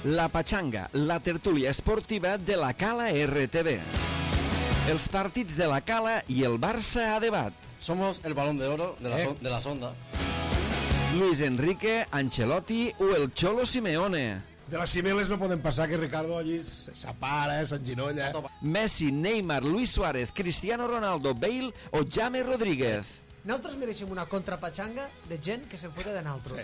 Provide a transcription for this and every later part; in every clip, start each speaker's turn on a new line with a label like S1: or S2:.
S1: La Pachanga, la tertúlia esportiva de la Cala RTV. Els partits de la Cala i el Barça a debat.
S2: Somos el balón de oro de las ondas.
S1: Luis Enrique, Ancelotti o el Cholo Simeone.
S3: De les cimeles no poden passar que Ricardo allí s'apara, s'enginolla.
S1: Messi, Neymar, Luis Suárez, Cristiano Ronaldo, Bale o James Rodríguez.
S4: Nosaltres mereixem una contrapatxanga de gent que se'n fota de nosaltres.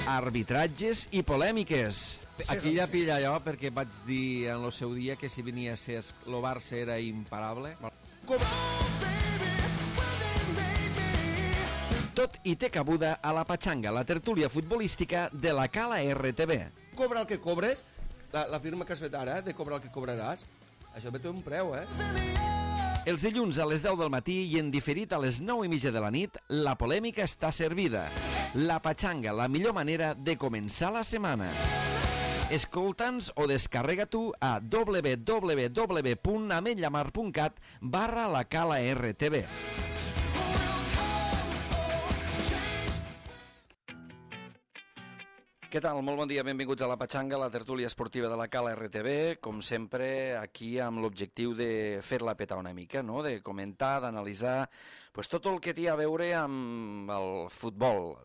S1: Arbitratges i polèmiques. Aquí ja pilla allò perquè vaig dir en el seu dia que si venia a ser el Barça era imparable. Tot i té cabuda a la Pachanga, la tertúlia futbolística de la Cala RTV.
S5: Cobra el que cobres, la firma que has fet ara, de cobrar el que cobraràs, això té un preu,
S1: Els dilluns a les 10 del matí i en diferit a les 9:30 de la nit, la polèmica està servida. La Pachanga, la millor manera de començar la setmana. Escolta'ns o descarrega tu a www.ametlllamar.cat/la Cala RTV. Què tal? Molt bon dia, benvinguts a la Pachanga, la tertúlia esportiva de la Cala RTV, com sempre aquí amb l'objectiu de fer-la petar una mica, no? De comentar, d'analitzar tot el que té a veure amb el futbol.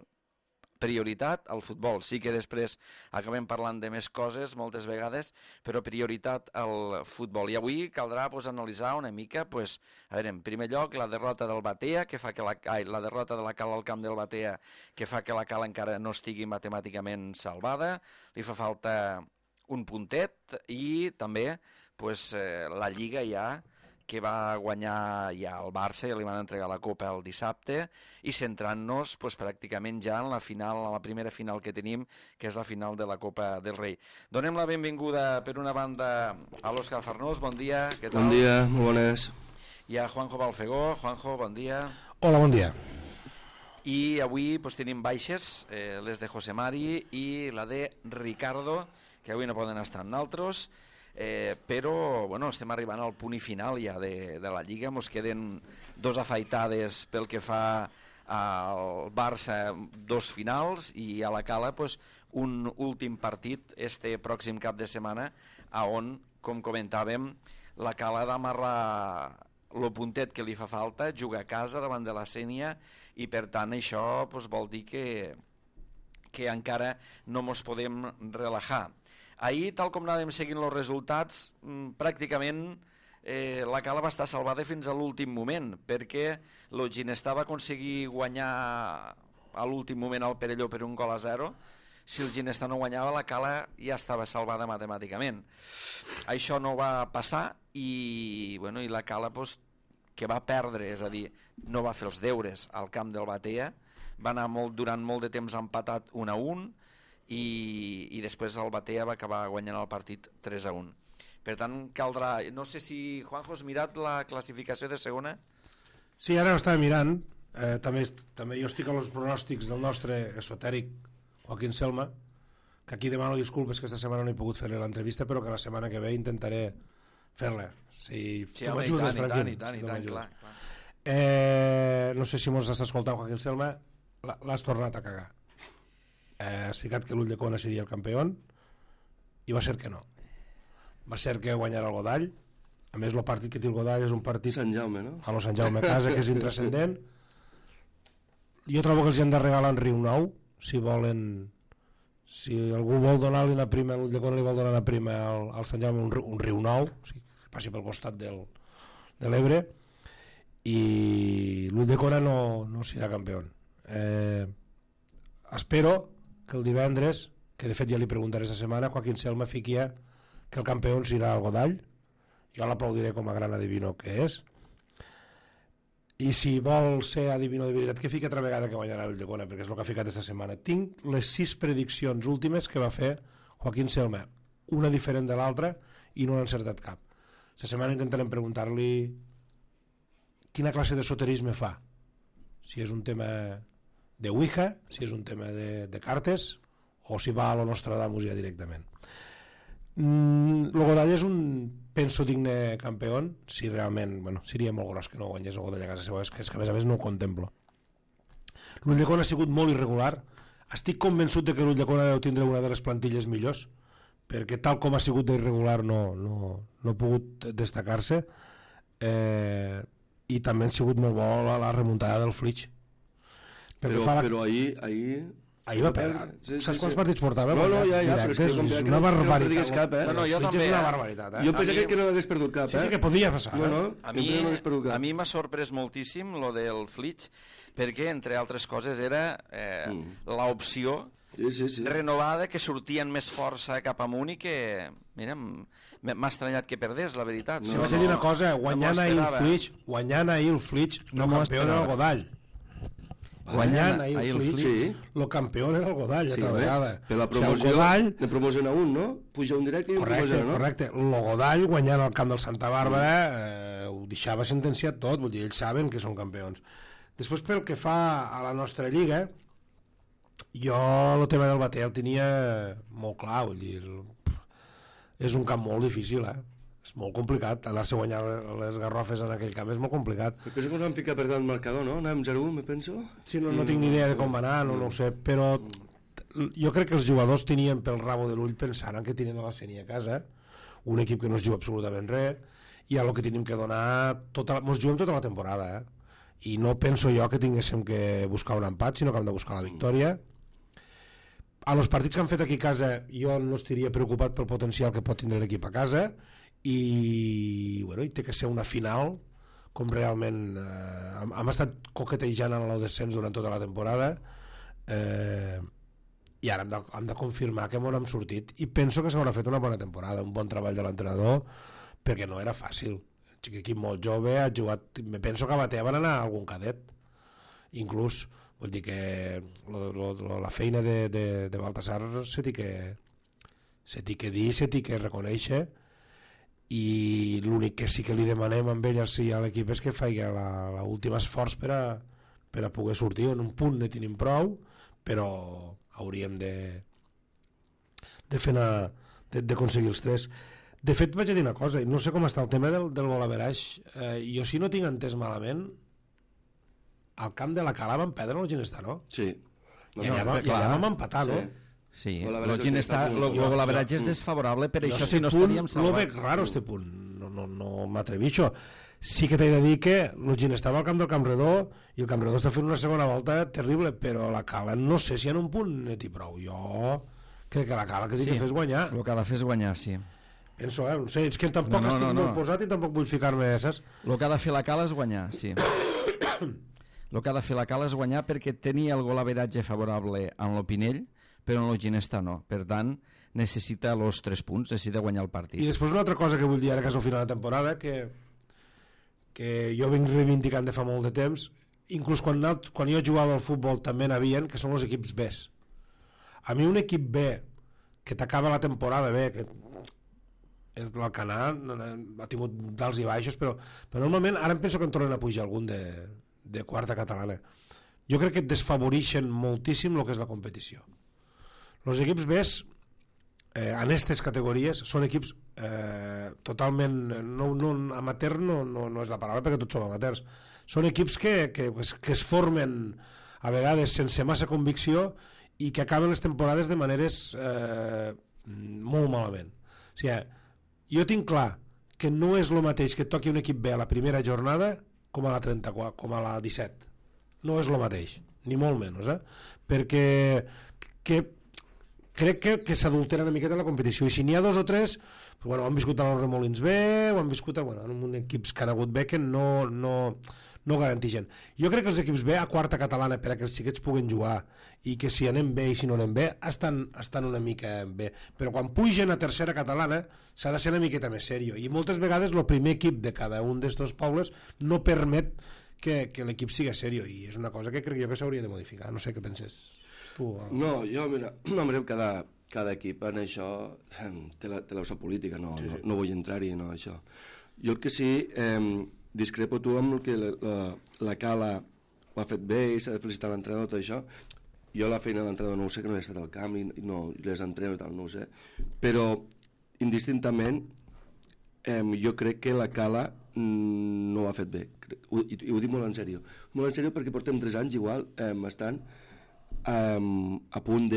S1: Prioritat al futbol, sí que després acabem parlant de més coses moltes vegades, però prioritat al futbol. I avui caldrà analitzar una mica, a veure, en primer lloc la derrota del Batea, que fa que la derrota de la Cala al camp del Batea, que fa que la Cala encara no estigui matemàticament salvada, li fa falta un puntet i també la Lliga ja, que va guanyar ja el Barça, ja li van entregar la Copa el dissabte, i centrant-nos pràcticament ja en la final, en la primera final que tenim, que és la final de la Copa del Rei. Donem la benvinguda, per una banda, a l'Òscar Farnós, bon dia, què tal?
S5: Bon dia, molt bones.
S1: I a Juanjo Balfegó. Juanjo, bon dia.
S3: Hola, bon dia.
S1: I avui tenim baixes, les de José Mari i la de Ricardo, que avui no poden estar amb nosaltres, però estem arribant al punt i final ja de la Lliga. Ens queden dos afaitades pel que fa al Barça, dos finals, i a la Cala un últim partit este pròxim cap de setmana, on, com comentàvem, la Cala ha d'amarrar el puntet que li fa falta, jugar a casa davant de la Sénia, i per tant això vol dir que encara no ens podem relajar. Ahir, tal com anàvem seguint els resultats, pràcticament la Cala va estar salvada fins a l'últim moment, perquè el Ginestar va aconseguir guanyar a l'últim moment al Perelló per 1-0. Si el Ginestar no guanyava, la Cala ja estava salvada matemàticament. Això no va passar i la Cala que va perdre, és a dir, no va fer els deures al camp del Batea, va anar durant molt de temps empatat 1-1, i després el Batea va acabar guanyant el partit 3-1. Per tant, caldrà... No sé si, Juanjo, has mirat la classificació de segona?
S3: Sí, ara ho estava mirant. També jo estic a els pronòstics del nostre esotèric Joaquín Selma, que aquí demano disculpes que aquesta setmana no he pogut fer-li l'entrevista, però que la setmana que ve intentaré fer-la. Si tu m'ajudes, Franquín.
S1: I tant, clar.
S3: No sé si mos estàs escoltant, Joaquín Selma, l'has tornat a cagar. Has ficat que l'Ulldecona seria el campió i va ser que no. Va ser que guanyarà el Godall. A més, el partit que té el Godall és un partit
S5: Sant Jaume, no?
S3: a Sant Jaume a casa, que és intrascendent. Jo trobo que els hem de regalar un riu nou, si algú vol donar-li una prima, l'Ulldecona li vol donar una prima al Sant Jaume, un riu nou, o sigui, que passi pel costat de l'Ebre, i l'Ulldecona no serà campió. Espero que el divendres, que de fet ja li preguntaré esta setmana, Joaquín Selma fiquia que el campió serà el Godall. Jo l'aplaudiré com a gran adivino que és, i si vol ser adivino de veritat, que fiqui altra vegada que guanyarà l'Ulldecona, perquè és el que ha ficat esta setmana. Tinc les 6 prediccions últimes que va fer Joaquín Selma, una diferent de l'altra, i no n'ha encertat cap. Esta setmana intentarem preguntar-li quina classe de soterisme fa, si és un tema de Ouija, si és un tema de cartes, o si va a lo Nostradamus ja directament. El Godall és penso digne campió, si realment, seria molt gros que no guanyés el Godall a casa seva, és que a més no ho contemplo. L'Ulldecona ha sigut molt irregular, Estic convençut de que l'Ulldecona deu tindre una de les plantilles millors, perquè tal com ha sigut d'irregular no ha pogut destacar-se, i també ha sigut molt bo la remuntada del Flix.
S5: Però ahir
S3: va perdre. Saps quants partits portava?
S5: No, ja, però és que
S3: és una barbaritat.
S5: No perdigues cap,
S1: No, jo també.
S3: És una barbaritat,
S5: Jo pensava que no l'hagués perdut cap,
S3: Sí, que podia passar.
S1: A mi m'ha sorprès moltíssim lo del Flix, perquè, entre altres coses, era l'opció renovada, que sortien més força cap amunt i que... Mira, m'ha estranyat que perdés, la veritat.
S3: Si vaig dir una cosa, guanyant ahir el Flix, no campió era el Godall. Guanyant ahir el Flix, el campió era el Godall, altra vegada.
S5: Per la promoció, ne promociona un, no? Puja un directe i un promociona, no?
S3: Correcte, el Godall guanyant al camp del Santa Bàrbara ho deixava sentenciat tot, vull dir, ells saben que són campions. Després, pel que fa a la nostra lliga, jo el tema del Batea el tenia molt clar, vull dir, és un camp molt difícil, és molt complicat, anar-se a guanyar les Garrofes en aquell camp és molt complicat.
S5: Me penso que ens vam ficar per tant marcador, no? Anàvem 0-1, me penso.
S3: Sí, no tinc ni idea de com va anar, no ho sé, però jo crec que els jugadors tenien pel rabo de l'ull pensant que tenien a la Sénia a casa, un equip que no es juga absolutament res, i a lo que tenim que donar, ens juguem tota la temporada, i no penso jo que tinguéssim que buscar un empat, sinó que hem de buscar la victòria. A los partits que han fet aquí a casa jo no estaria preocupat pel potencial que pot tindre l'equip a casa, i té que ser una final com realment hem estat coquetejant en el descens durant tota la temporada, i ara hem de confirmar que hem sortit, i penso que s'haurà fet una bona temporada, un bon treball de l'entrenador, perquè no era fàcil, un equip molt jove, ha jugat, me penso que a Batea van anar a algun cadet inclús, vull dir que la feina de Baltasar se t'hi que dir, se t'hi que reconèixer, i l'únic que sí que li demanem amb ell a l'equip és que faci l'últim esforç per a poder sortir. En un punt ne tenim prou, però hauríem d'aconseguir els 3. De fet, vaig a dir una cosa, no sé com està el tema del gol average, jo si no tinc entès malament, al camp de la Cala vam perdre el Ginestà, no?
S5: Sí.
S3: I allà vam empatar, no?
S1: Sí, el golaveratge és desfavorable, per això si no estaríem salvats.
S3: Lo veig raro, este punt, no m'atrevixo. Sí que t'he de dir que el Ginestà va al camp del Campredó i el Campredó està fent una segona volta terrible, però la Cala no sé si en un punt net i prou. Jo crec que la Cala que té que fer és guanyar.
S1: El que ha de fer és guanyar, sí.
S3: Penso, no sé, és que tampoc estic molt posat i tampoc vull ficar-me, saps?
S1: El que ha de fer la Cala és guanyar, sí. El que ha de fer la Cala és guanyar perquè tenia el golaveratge favorable en l'Opinell, però en el Ginestà no. Per tant, necessita els 3 punts, necessita guanyar el partit.
S3: I després una altra cosa que vull dir ara, que és el final de temporada, que jo vinc reivindicant de fa molt de temps, inclús quan jo jugava al futbol també n'havien, que són els equips B. A mi un equip B que t'acaba la temporada bé, que l'Alcanar ha tingut dals i baixos, però normalment ara em penso que en tornen a pujar algun de quarta catalana. Jo crec que desfavoreixen moltíssim el que és la competició. Els equips B en aquestes categories són equips totalment amateur, no és la paraula perquè tots som amateurs, són equips que es formen a vegades sense massa convicció i que acaben les temporades de maneres molt malament. O sigui, jo tinc clar que no és el mateix que toqui un equip B a la primera jornada com a la 34, com a la 17. No és el mateix, ni molt menys, perquè crec que s'adultera una miqueta la competició, i si n'hi ha 2 o 3 ho han viscut a los Remolins B, ho han viscut en equips que han hagut B que no garantixen. Jo crec que els equips B a quarta catalana, per a que els xiquets puguen jugar, i que si anem bé i si no anem bé estan una mica bé, però quan pugen a tercera catalana s'ha de ser una miqueta més serio, i moltes vegades el primer equip de cada un d'estos pobles no permet que l'equip siga serio, i és una cosa que crec jo que s'hauria de modificar. No sé què penses tu.
S5: No, jo, mira, cada equip en això té la seva política, no vull entrar-hi, no, això. Jo el que sí, discrepo tu amb el que la Cala ho ha fet bé i s'ha de felicitar l'entrenador, tot això. Jo la feina de l'entrenador no ho sé, que no he estat al camp i no les entreno i tal, no ho sé, però indistintament jo crec que la Cala no ho ha fet bé, i ho dic molt en sèrio perquè portem 3 anys igual estant a punt,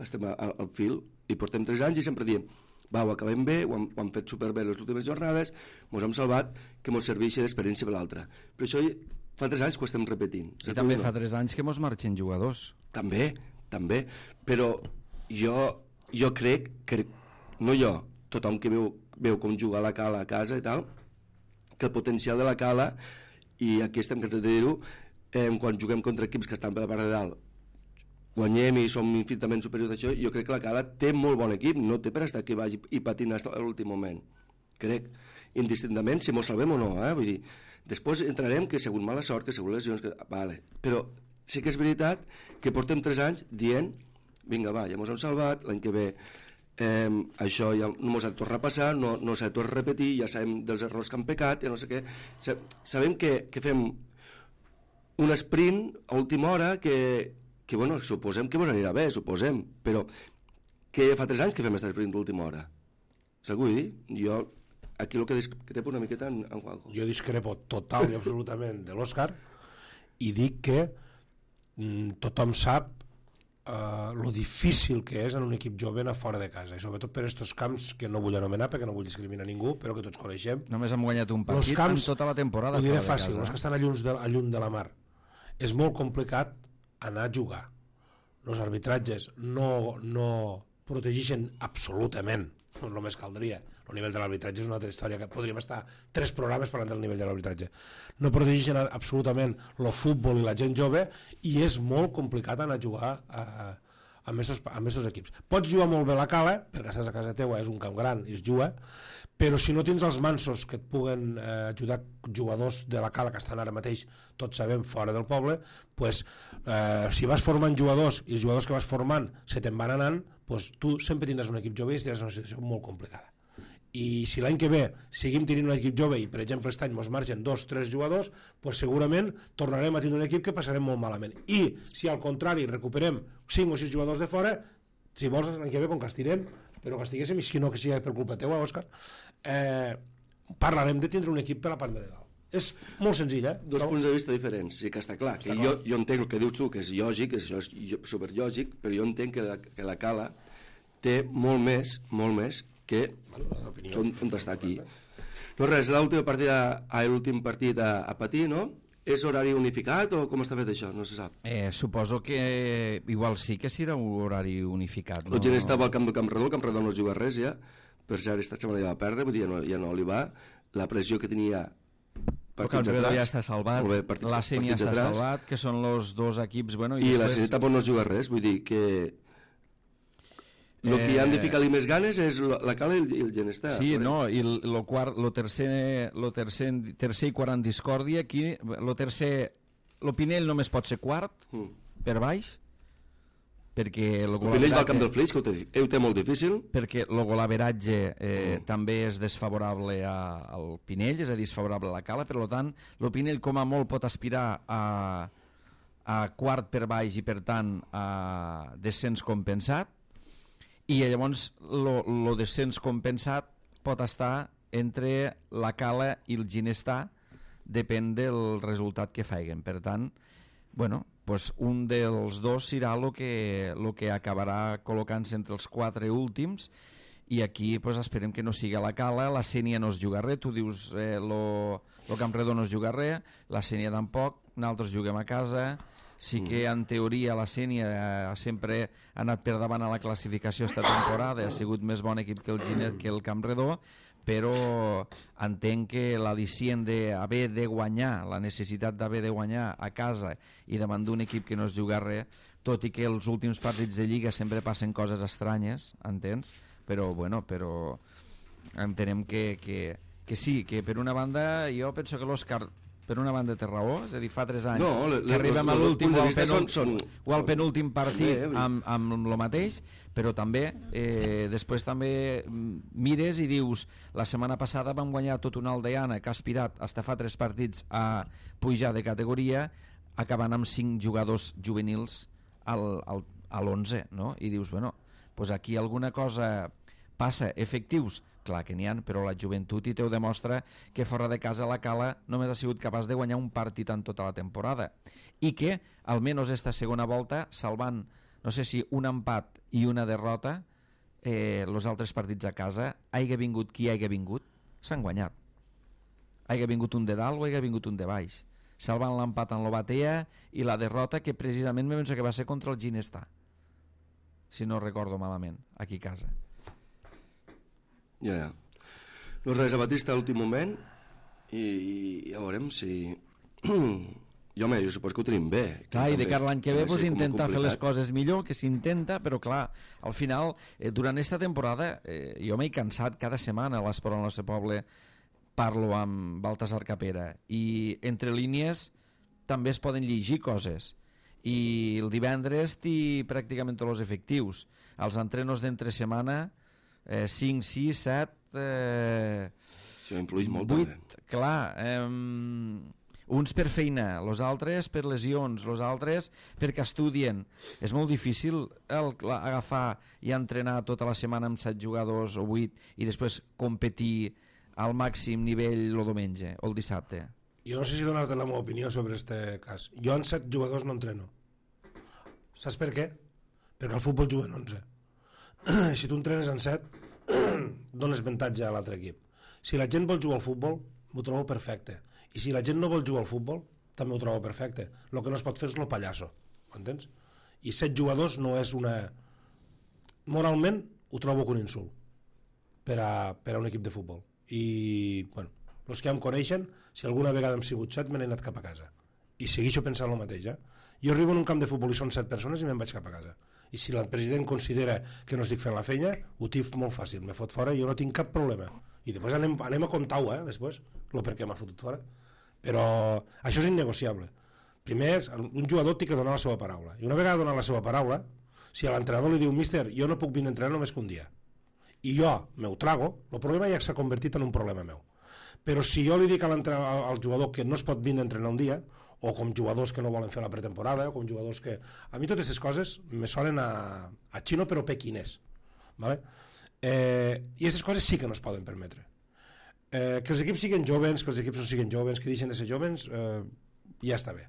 S5: estem al fil, i portem 3 anys i sempre diem ho acabem bé, ho hem fet superbé les últimes jornades, ens hem salvat, que ens serveixi d'experiència per l'altra. Però això fa 3 anys que ho estem repetint.
S1: I també fa 3 anys que ens marxen jugadors.
S5: També, però jo crec que, no jo, tothom que veu com jugar la Cala a casa i tal, que el potencial de la Cala, i aquí estem cansats de dir-ho, quan juguem contra equips que estan per la part de dalt, guanyem i som infinitament superiors a això, jo crec que la Cala té molt bon equip, no té per estar aquí baix i patint fins a l'últim moment. Crec, indistintament, si mos salvem o no, vull dir, després entrarem que segons mala sort, que segons lesions, vale. Però sí que és veritat que portem 3 anys dient, vinga va, ja mos hem salvat, l'any que ve això ja no mos ha de tornar a passar, no s'ha de tornar a repetir, ja sabem dels errors que han pecat, ja no sé què, sabem que fem un sprint a última hora que bueno, suposem que ens anirà bé, suposem, però que fa 3 anys que fem aquest sprint d'última hora. Saps què vull dir? Jo aquí el que discrepo una miqueta en Juanjo.
S3: Jo discrepo total i absolutament de l'Òscar i dic que tothom sap lo difícil que és en un equip jove anar fora de casa, i sobretot per aquests camps que no vull anomenar perquè no vull discriminar ningú, però que tots coneixem.
S1: Només hem guanyat un partit en tota la temporada.
S3: Ho diré fàcil, els que estan lluny de la mar. És molt complicat anar a jugar. Els arbitratges no protegeixen absolutament, no només caldria. El nivell de l'arbitratge és una altra història, que podríem estar 3 programes parlant del nivell de l'arbitratge. No protegeixen absolutament el futbol i la gent jove, i és molt complicat anar a jugar amb aquests equips. Pots jugar molt bé la Cala, perquè estàs a casa teua, és un camp gran i es juga, però si no tens els mansos que et puguen ajudar, jugadors de la Cala que estan ara mateix, tots sabem, fora del poble, pues, si vas formant jugadors i els jugadors que vas formant se te'n van anant, pues, tu sempre tindràs un equip jove i estaràs en una situació molt complicada. I si l'any que ve seguim tenint un equip jove i, per exemple, aquest any ens marxen 2-3 jugadors, pues segurament tornarem a tenir un equip que passarem molt malament. I si al contrari recuperem 5 o 6 jugadors de fora, si vols l'any que ve, com que estirem, però que estiguéssim, i si no que sigui per culpa teua, Òscar, parlarem de tindre un equip per la part de dalt. És molt senzill,
S5: Dos punts de vista diferents, sí que està clar. Que jo entenc el que dius tu, que és lògic, és superlògic, però jo entenc que la Cala té molt més que on està aquí. No res, l'últim partit a patir, no? És horari unificat o com està fet això? No se sap.
S1: Suposo que igual sí que serà un horari unificat.
S5: La gent estava al camp del Campredó, el Campredó no juga res ja, per cert, esta setmana ja va perdre, vull dir, ja no li va. La pressió que tenia
S1: el Campredó ja està salvat, la Sènia està salvat, que són els 2 equips, bueno,
S5: i la Sènia tampoc no juga res, vull dir que el que hi han de ficar-li més ganes és la Cala i el Genestar.
S1: Sí, no, i el tercer i quart en discòrdia, aquí el Pinell només pot ser quart per baix, perquè el
S5: Pinell va al camp del Flix, que ho té molt difícil,
S1: perquè el golaveratge també és desfavorable al Pinell, és a dir, és favorable a la Cala, per tant el Pinell com a molt pot aspirar a quart per baix i per tant a descens compensat, i llavors el descens compensat pot estar entre la Cala i el Ginestar, depèn del resultat que faiguen. Per tant, bueno, pues un dels dos serà el que acabarà col·locant-se entre els 4 últims, i aquí pues, esperem que no sigui la Cala. La Sènia no es juga res, tu dius el Campredó no es juga res, la Sènia tampoc, nosaltres juguem a casa. Sí que en teoria la Sènia sempre ha anat per davant a la classificació esta temporada, ha sigut més bon equip que el Campredó, però entenc que l'al·licient d'haver de guanyar, la necessitat d'haver de guanyar a casa i davant d'un equip que no es juga res, tot i que els últims partits de Lliga sempre passen coses estranyes, entens? Però entenem que sí, que per una banda jo penso que l'Òscar per una banda té raó, és a dir, fa 3 anys que arribem a l'últim o al penúltim partit amb el mateix, però també després també mires i dius, la setmana passada vam guanyar tot una Aldeana que ha aspirat fins fa 3 partits a pujar de categoria, acabant amb 5 jugadors juvenils a l'11, no? I dius, bueno, doncs aquí alguna cosa Passa efectius? Clar que n'hi ha, però la joventut i teu demostra que fora de casa la Cala només ha sigut capaç de guanyar un partit en tota la temporada i que, almenys esta segona volta, salvant, no sé si un empat i una derrota, els altres partits a casa, haiga vingut qui haiga vingut, s'han guanyat. Haiga vingut un de dalt o haiga vingut un de baix, salvant l'empat en l'Obatea i la derrota que precisament me penso que va ser contra el Ginestà, si no recordo malament, aquí a casa.
S5: Ja. No res, a Batista a l'últim moment i ja veurem si... I home, jo supos que ho tenim bé.
S1: Clar, i de cara l'any que ve pues, intentar fer les coses millor, que s'intenta, però clar, al final, durant esta temporada, jo m'he cansat cada setmana a l'Esport al nostre poble, parlo amb Baltasar Capera, i entre línies també es poden llegir coses. I el divendres té pràcticament tots els efectius. Els entrenos d'entre setmana, 5, 6, 7...
S5: Això influeix molt
S1: 8,
S5: també.
S1: Clar, uns per feina, els altres per lesions, els altres perquè estudien. És molt difícil agafar i entrenar tota la setmana amb 7 jugadors o 8 i després competir al màxim nivell el diumenge o el dissabte.
S3: Jo no sé si donar-te la meva opinió sobre este cas. Jo en 7 jugadors no entreno. Saps per què? Perquè al futbol juguen 11. Si tu entrenes en 7, dones avantatge a l'altre equip. Si la gent vol jugar al futbol, m'ho trobo perfecte. I si la gent no vol jugar al futbol, també ho trobo perfecte. El que no es pot fer és lo pallasso, m'entens? I 7 jugadors no és una... Moralment ho trobo un insult per a un equip de futbol. I, bueno, els que ja em coneixen, si alguna vegada hem sigut 7, me n'he anat cap a casa. I segueixo pensant el mateix, Jo arribo en un camp de futbol i són 7 persones i me'n vaig cap a casa. I si el president considera que no estic fent la feina, ho tinc molt fàcil, me fot fora i jo no tinc cap problema. I després anem a comptar-ho, després, el per què m'ha fotut fora. Però això és innegociable. Primer, un jugador té que donar la seva paraula. I una vegada donat la seva paraula, si a l'entrenador li diu míster, jo no puc vindre a entrenar només que un dia, i jo m'ho trago, el problema ja s'ha convertit en un problema meu. Però si jo li dic al jugador que no es pot vindre a entrenar un dia, o com jugadors que no volen fer la pretemporada, o com jugadors que... A mi totes aquestes coses me sonen a xino però pequinès. ¿Vale? I aquestes coses sí que no es poden permetre. Que els equips siguin jovens, que els equips no siguin jovens, que deixen de ser jovens, ja està bé.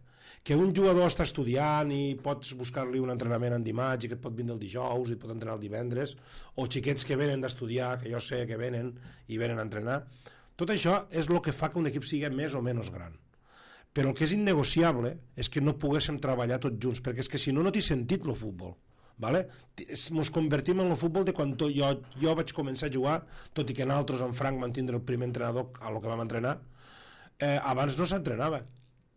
S3: Que un jugador està estudiant i pots buscar-li un entrenament en dimarts i que et pot vindre el dijous i et pot entrenar el divendres, o xiquets que venen d'estudiar, que jo sé que venen i venen a entrenar, tot això és el que fa que un equip sigui més o menys gran. Però el que és innegociable és que no poguéssim treballar tots junts, perquè és que si no, no té sentit el futbol. ¿Vale? Ens convertim en el futbol de quan jo vaig començar a jugar, tot i que nosaltres en Frank van tindre el primer entrenador a lo que vam entrenar, abans no s'entrenava,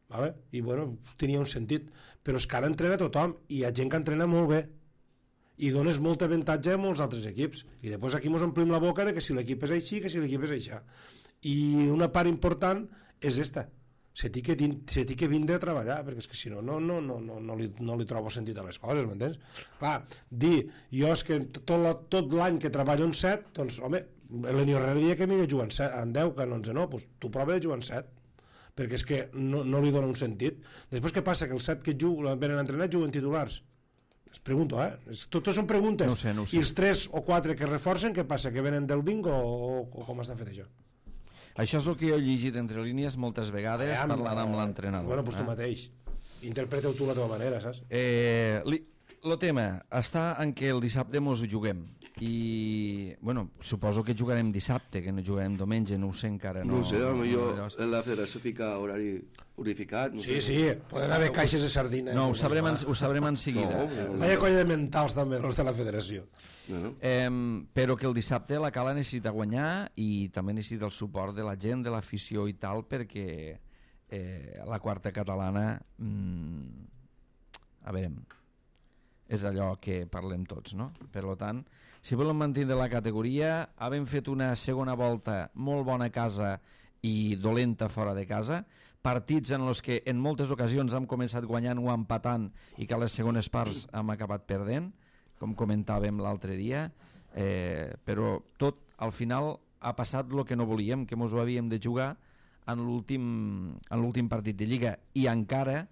S3: ¿vale? I bueno, tenia un sentit, però és que ara entrena tothom i hi ha gent que entrena molt bé i dones molt avantatge a molts altres equips i després aquí ens omplim la boca de que si l'equip és així, que si l'equip és així, i una part important és esta, se té que vindre a treballar, perquè és que si no no li trobo sentit a les coses, m'entens? Clar, dir, jo és que tot l'any que treballo en 7, doncs, home, l'Eni Herrera dia que m'hi de jugar en 10, que en 11 no, doncs tu prova de jugar en 7, perquè és que no li dona un sentit. Després què passa? Que els 7 que venen a entrenar juguen titulars. Es pregunto, Totes són preguntes.
S1: No ho sé.
S3: I els 3 o 4 que reforcen, què passa? Que venen del bingo o com està fet això?
S1: Això és el que jo he llegit entre línies moltes vegades parlant amb l'entrenador.
S3: Bueno, doncs tu mateix. Interpreta-ho tu a la teva manera, saps?
S1: El tema està en que el dissabte mos ho juguem. I, bueno, suposo que jugarem dissabte, que no jugarem diumenge, no ho sé encara.
S5: No ho sé, potser la federació fica horari unificat. No
S3: sí,
S5: sé.
S3: Sí, poden haver caixes de sardina.
S1: No, ho sabrem en seguida.
S3: Vaya colla de mentals també, els de la federació.
S5: No.
S1: Però que el dissabte la Cala necessita guanyar i també necessita el suport de la gent, de l'afició i tal, perquè la quarta catalana a veure, és allò que parlem tots, no? Per tant, si volen mantenir la categoria, havent fet una segona volta molt bona a casa i dolenta fora de casa, partits en els que en moltes ocasions hem començat guanyant o empatant i que a les segones parts hem acabat perdent, com comentàvem l'altre dia, però tot al final ha passat el que no volíem, que ens ho havíem de jugar en l'últim partit de Lliga, i encara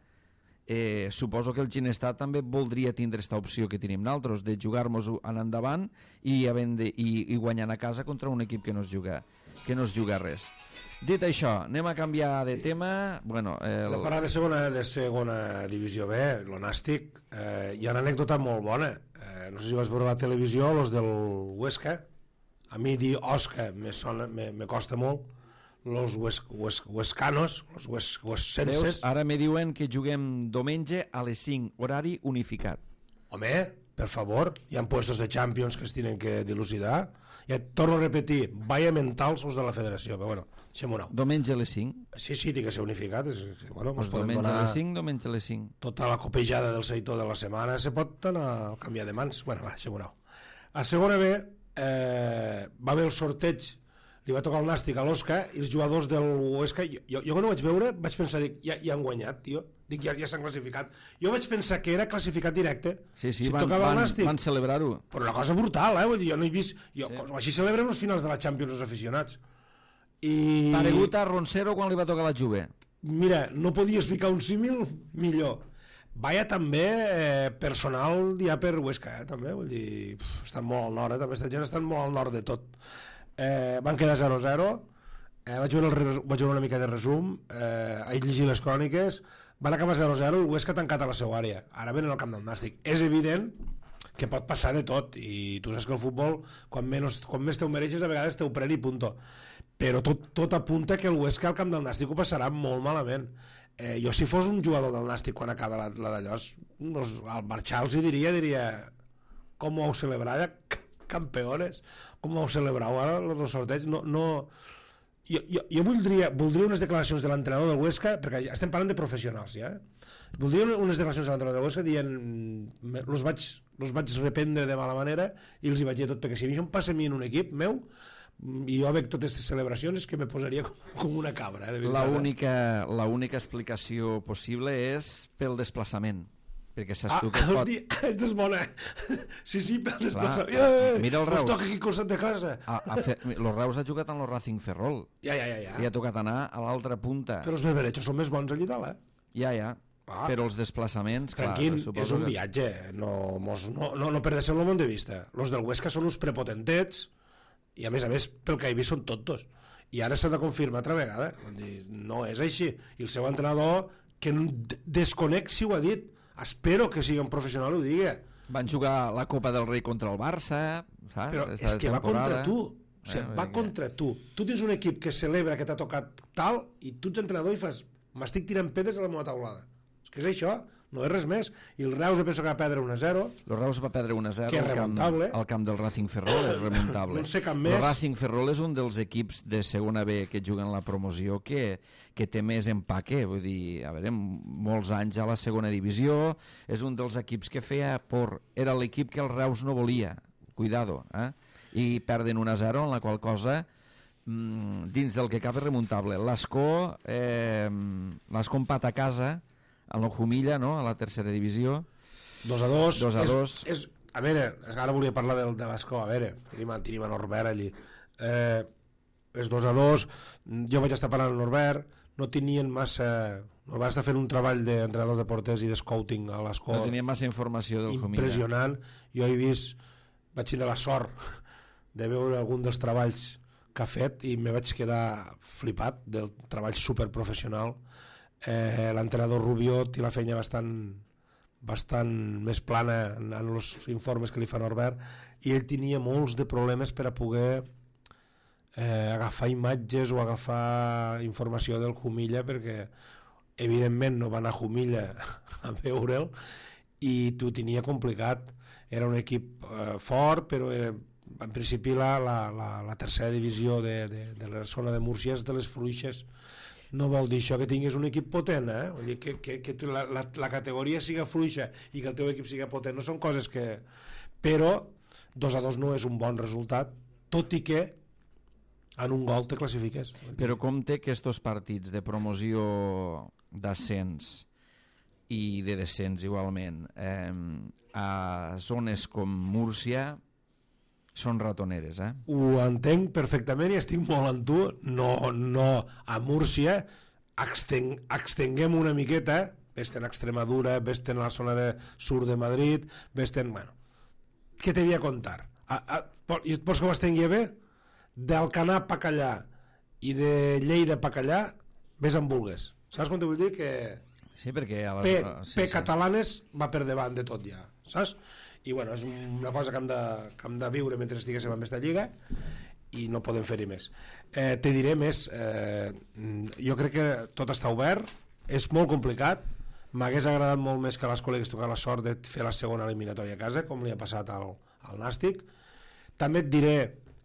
S1: suposo que el Ginestar també voldria tindre aquesta opció que tenim nosaltres, de jugar-nos en endavant i guanyant a casa contra un equip que no es juga res. Dit això, anem a canviar de tema. Bueno,
S3: de parlar de segona divisió B, el Nàstic, hi ha una anècdota molt bona. No sé si vas veure la televisió, los del Huesca. A mi dir Osca me costa molt. Los huescanos, los huescenses.
S1: Veus, ara me diuen que juguem diumenge a les 5, horari unificat.
S3: Home, per favor, hi ha puestos de Champions que es tenen que dilucidar. Ja torno a repetir, vaya mentals els de la federació, però bueno, deixem-ho anar.
S1: Diumenge a les 5?
S3: Sí, té que ser unificat. Bueno,
S1: pues diumenge a les 5, diumenge a les 5.
S3: Tota la copejada del Seitó de la setmana se pot anar a canviar de mans. Bueno, va, deixem-ho anar. A segona B va haver el sorteig, li va tocar el Nàstic a l'Osca i els jugadors del Huesca, jo quan ho vaig veure vaig pensar, dic, ja han guanyat, tio, dic, ja s'han classificat. Jo vaig pensar que era classificat directe.
S1: Sí,
S3: si
S1: van celebrar-ho.
S3: Però una cosa brutal, vull dir, jo no he vist, així celebrem els finals de la Champions els aficionats.
S1: Paregut a Roncero quan li va tocar la Juve.
S3: Mira, no podies ficar un símil millor. Vaya també personal ja per Huesca, també, vull dir, estan molt al nord, també aquesta gent estan molt al nord de tot. Van quedar 0-0, vaig veure una mica de resum, vaig llegir les cròniques, van acabar 0-0 i el Huesca tancat a la seva àrea. Ara venen al camp del Nàstic. És evident que pot passar de tot, i tu saps que el futbol, quan més te ho mereixes, a vegades te ho pren i punto. Però tot apunta que el Huesca al camp del Nàstic ho passarà molt malament. Jo si fos un jugador del Nàstic quan acaba la d'allò, al marxar els diria com ho heu celebrat, campeones, com ho heu celebrat ara el sorteig. Jo voldria unes declaracions de l'entrenador del Huesca, perquè estem parlant de professionals ja, voldria unes declaracions de l'entrenador del Huesca dient los vaig reprendre de mala manera i els hi vaig dir tot, perquè si això em passa a mi en un equip meu i jo veig totes aquestes celebracions és que me posaria com una cabra.
S1: L'única explicació possible és pel desplaçament, perquè saps tu que pot...
S3: Aquesta és bona. Sí, pel desplaçament.
S1: Mira el Reus.
S3: Us toca aquí costat de casa.
S1: El Reus ha jugat amb el Racing Ferrol.
S3: Ja.
S1: Li ha tocat anar a l'altra punta.
S3: Però els berberechos són més bons allí dalt,
S1: Ja. Però els desplaçaments...
S3: Tranquil, és un viatge. No perdesem el món de vista. Els del Huesca són uns prepotentets i a més pel que he vist són tontos. I ara s'ha de confirmar altra vegada. No és així. I el seu entrenador, que desconec si ho ha dit, espero que sigui un professional i ho digui.
S1: Van jugar la Copa del Rei contra el Barça, saps?
S3: Però és que va contra tu. O sigui, va contra tu. Tu tens un equip que celebra que t'ha tocat tal i tu ets entrenador i fas m'estic tirant pedres a la meva taulada. És que és això, no és res més. I el Reus penso que va perdre 1-0.
S1: El Reus va perdre 1-0
S3: que és remuntable.
S1: Al camp del Racing Ferrol, és remuntable.
S3: No sé cap més.
S1: El Racing Ferrol és un dels equips de segona B que juguen la promoció que té més empaque, vull dir, a veure, molts anys a la segona divisió, és un dels equips que feia por. Era l'equip que el Reus no volia, cuidado, i perden 1-0, en la qual cosa dins del que cap és remuntable. L'Escó empat a casa a l'Ojumilla, no? A la tercera divisió.
S3: 2-2.
S1: 2-2.
S3: A veure, ara volia parlar de l'Escó. A veure, tenim a Norbert allí. És 2-2. Jo vaig estar parlant amb Norbert. No tenien massa... Norbert està fent un treball d'entrenador de porters i de scouting a l'Escó.
S1: No tenien massa informació del Jumilla.
S3: Impressionant. Jo he vist... Vaig tenir la sort de veure algun dels treballs que ha fet i me vaig quedar flipat del treball superprofessional. L'entrenador Rubio té la feina bastant més plana en els informes que li fa Norbert i ell tenia molts de problemes per a poder agafar imatges o agafar informació del Jumilla perquè evidentment no va anar a Jumilla a veure'l i t'ho tenia complicat. Era un equip fort, però en principi la tercera divisió de la zona de Múrcia és de les fluixes. No vol dir això que tinguis un equip potent, Vull dir que la categoria siga fluixa i que el teu equip siga potent no són coses que... Però 2-2 no és un bon resultat, tot i que en un gol te classifiques.
S1: Però com té que estos partits de promoció d'ascens i de descens igualment a zones com Múrcia són ratoneres,
S3: Ho entenc perfectament i estic molt amb tu. No, a Múrcia extenguem una miqueta, vés-te'n a Extremadura, vés-te'n a la zona de sur de Madrid, vés-te'n... Bueno, què t'havia a contar? I et pots que ho estengui bé? D'Alcanar pa Callà i de Lleida pa Callà, vés en vulgues. Saps com te vull dir? Que
S1: sí, perquè
S3: P catalanes va per davant de tot ja, saps? I bueno, és una cosa que hem de viure mentre estiguéssim en aquesta lliga i no podem fer-hi més. Te diré més, jo crec que tot està obert, és molt complicat, m'hagués agradat molt més que l'Escola hagués tocat la sort de fer la segona eliminatòria a casa, com li ha passat al Nàstic. També et diré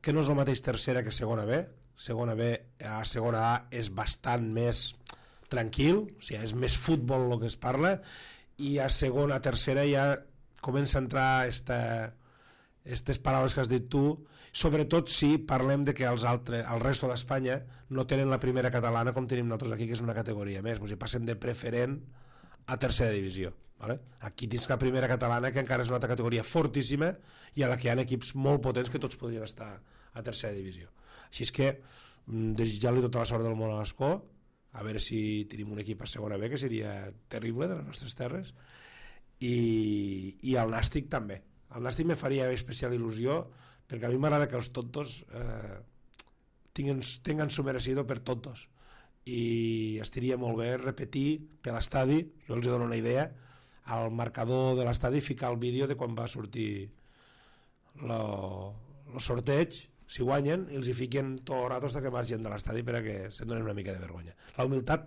S3: que no és el mateix tercera que segona B. Segona B a segona A és bastant més tranquil, o sigui, és més futbol el que es parla, i a segona, a tercera ja comença a entrar aquestes paraules que has dit tu, sobretot si parlem de que el resto d'Espanya no tenen la primera catalana com tenim nosaltres aquí, que és una categoria més, o sigui, passen de preferent a tercera divisió. ¿Vale? Aquí tens la primera catalana, que encara és una altra categoria fortíssima i a la que hi ha equips molt potents que tots podrien estar a tercera divisió. Així és que desitjar-li tota la sort del món a l'Escó, a veure si tenim un equip a segona B, que seria terrible de les nostres terres, i el Nàstic també. El Nàstic me faria especial il·lusió, perquè a mi m'agrada que els tontos tinguin su merecido per tontos, i estaria molt bé repetir per l'estadi, jo els dono una idea, al marcador de l'estadi ficar el vídeo de quan va sortir el sorteig, si guanyen, i els hi fiquen tot el rato fins que marxen de l'estadi perquè se'n donen una mica de vergonya. La humilitat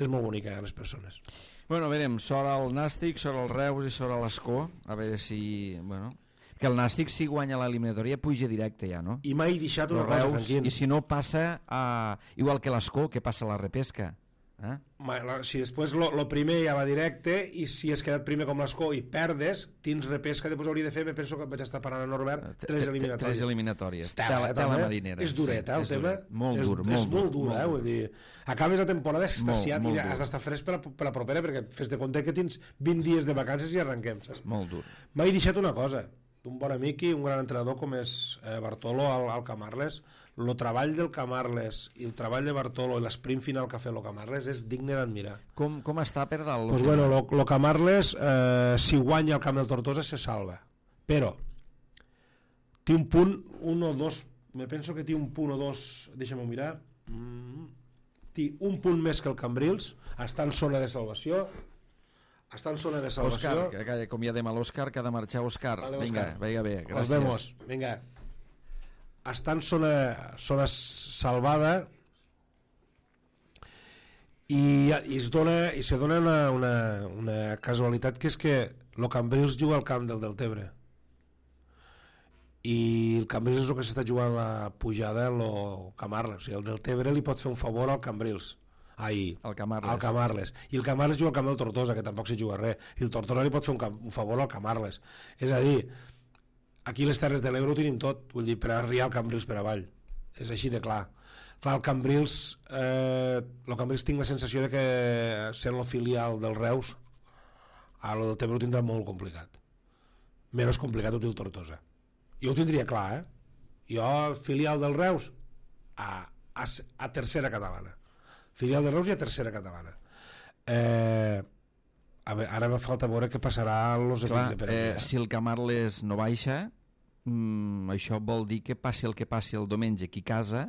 S3: és molt bonica a les persones.
S1: Bueno, verem, sort al Nàstic, sort al Reus i sort a l'Escó, a veure si... Bueno, que el Nàstic, si guanya l'eliminatòria, puja directe ja, no?
S3: I mai deixat una cosa, Franquín.
S1: I si no, passa igual que l'Escó, que passa a la repesca.
S3: Si després el primer ja va directe, i si has quedat primer com l'Escó i perdes, tens repesca, després hauria de fer, me penso que vaig estar parant a Norbert, 3 eliminatòries.
S1: 3 eliminatòries.
S3: Tela marinera. És dureta, el tema.
S1: Molt dur.
S3: És molt dur, vull dir, acabes la temporada extasiat i has d'estar fresc per la propera, perquè fes de compte que tens 20 dies de vacances i arrenquem, saps?
S1: Molt dur.
S3: M'he deixat una cosa, d'un bon amic i un gran entrenador com és Bartolo al Camarles. El treball del Camarles i el treball de Bartolo i l'esprint final que ha fet el Camarles és digne d'admirar.
S1: Com està per dalt?
S3: Pues bueno, el Camarles, si guanya el camp del Tortosa, se salva. Però té un punt, un o dos, me penso que té un punt o dos, deixa'm-ho mirar, té un punt més que el Cambrils, està en zona de salvació. Està en zona de salvació.
S1: Òscar, que acomiadem a l'Òscar, que ha de marxar Òscar.
S3: Vale,
S1: vinga bé, gràcies.
S3: Nos vemos, vinga. Està en zona salvada i se dona una casualitat, que és que el Cambrils juga al camp del Deltebre i el Cambrils és el que s'està jugant la pujada en el Camarles, o sigui, el Deltebre li pot fer un favor al Cambrils. Al Camarles. I el Camarles juga al camp del Tortosa, que tampoc s'hi juga res, i el Tortosa li pot fer un favor al Camarles. És a dir, aquí les Terres de l'Ebre ho tenim tot, vull dir, per arribar al Cambrils per avall, és així de clar. Clar, el Cambrils tinc la sensació de que sent el filial del Reus, a lo del Tebre ho tindrà molt complicat, menys complicat ho té el Tortosa. Jo ho tindria clar, jo filial del Reus a tercera catalana, filial de Reus i a tercera catalana. Ara me falta veure què passarà als equips de Perellà.
S1: Si el Camarles no baixa, això vol dir que passi el que passi el diumenge aquí a casa,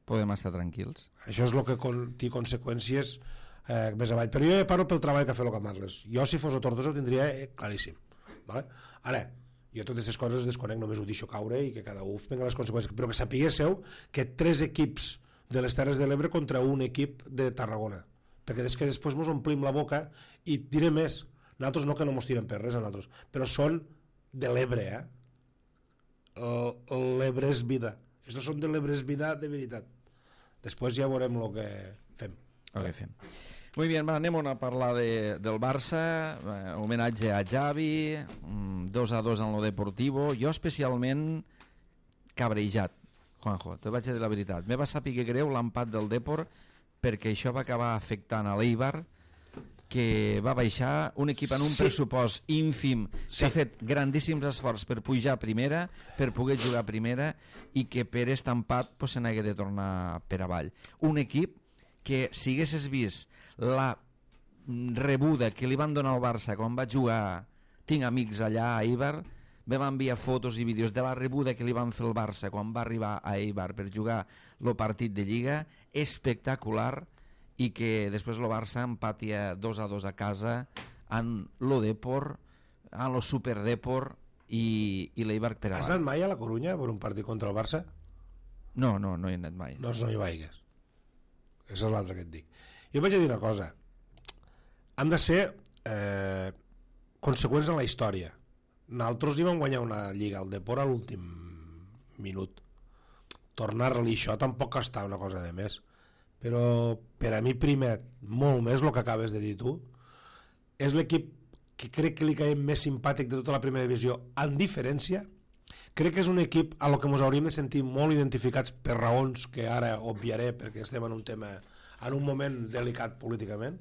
S1: podem estar tranquils.
S3: Això és el que té conseqüències més avall. Però jo ja parlo pel treball que ha fet el Camarles. Jo, si fos el Tortosa, ho tindria claríssim. Vale? Ara, jo totes aquestes coses desconec, només ho deixo caure i que cada un venga les conseqüències. Però que sapiguéssiu que 3 equips de les Terres de l'Ebre contra un equip de Tarragona, perquè és que després ens omplim la boca i diré més, nosaltres no que no mos tirem per res a nosaltres, però són de l'Ebre, l'Ebre és vida, estos són de l'Ebre és vida de veritat. Després ja veurem el que fem.
S1: Muy bien, anem a parlar del Barça, homenatge a Xavi, 2-2 en lo Deportivo, jo especialment cabrejat, Juanjo, te vaig dir la veritat. Me va saber greu l'empat del Depor perquè això va acabar afectant a l'Eibar, que va baixar un equip en un pressupost ínfim, que ha fet grandíssims esforços per pujar a primera, per poder jugar a primera, i que per aquest empat se n'hagué de tornar per avall. Un equip que, si haguessis vist la rebuda que li van donar al Barça quan va jugar, tinc amics allà a Eibar, vam enviar fotos i vídeos de la rebuda que li van fer el Barça quan va arribar a Eibar per jugar el partit de Lliga, espectacular, i que després el Barça empatia 2-2 a casa en lo Depor, en lo Super Depor i l'Eibar per
S3: Has
S1: avant.
S3: anat mai a la Corunya per un partit contra el Barça?
S1: No hi he anat mai.
S3: Doncs no hi vaigues. Aquesta és l'altra que et dic. Jo vaig a dir una cosa. Han de ser conseqüents en la història. Nosaltres hi vam guanyar una lliga al Depor a l'últim minut. Tornar-li això tampoc està una cosa de més. Però per a mi primer, molt més el que acabes de dir tu, és l'equip que crec que li caiem més simpàtic de tota la primera divisió, en diferència. Crec que és un equip a lo que ens hauríem de sentir molt identificats per raons que ara obviaré perquè estem en un tema, en un moment delicat políticament.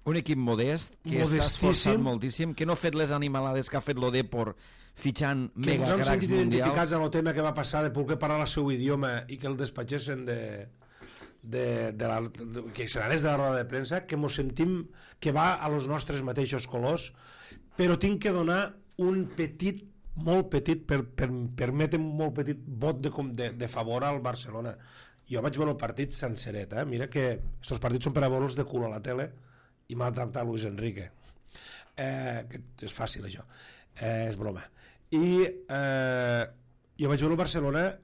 S1: Un equip modest, que s'ha esforçat moltíssim, que no ha fet les animalades que ha fet l'Odepor fitxant
S3: que
S1: mega
S3: ens han
S1: cracs
S3: sentit identificats
S1: mundials.
S3: en el tema que va passar de poder parlar el seu idioma i que el despatxessin que seran de la roda de premsa, que ens sentim que va a los nostres mateixos colors, però tinc que donar un petit, molt petit, permetem molt petit vot de favor al Barcelona. Jo vaig veure el partit senceret, mira que estos partits són per a veure'ls de cul a la tele i maltractar Luis Enrique, que és fàcil això, és broma. I jo vaig veure el Barcelona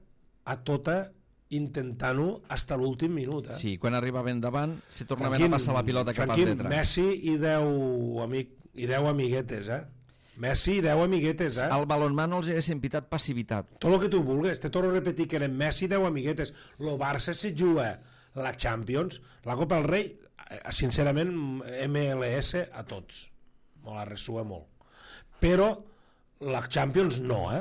S3: a tota intentant-ho fins a l'últim minut.
S1: Sí, quan arribaven davant se tornaven a passar la pilota cap al detrás.
S3: Messi i 10 amiguetes, Messi i 10 amiguetes,
S1: Al balonmà no els haguessin pitat passivitat.
S3: Tot el que tu vulguis, te torno a repetir que eren Messi i 10 amiguetes. El Barça se juga la Champions, la Copa del Rei, sincerament, MLS a tots. Me la resua molt. Però la Champions no, O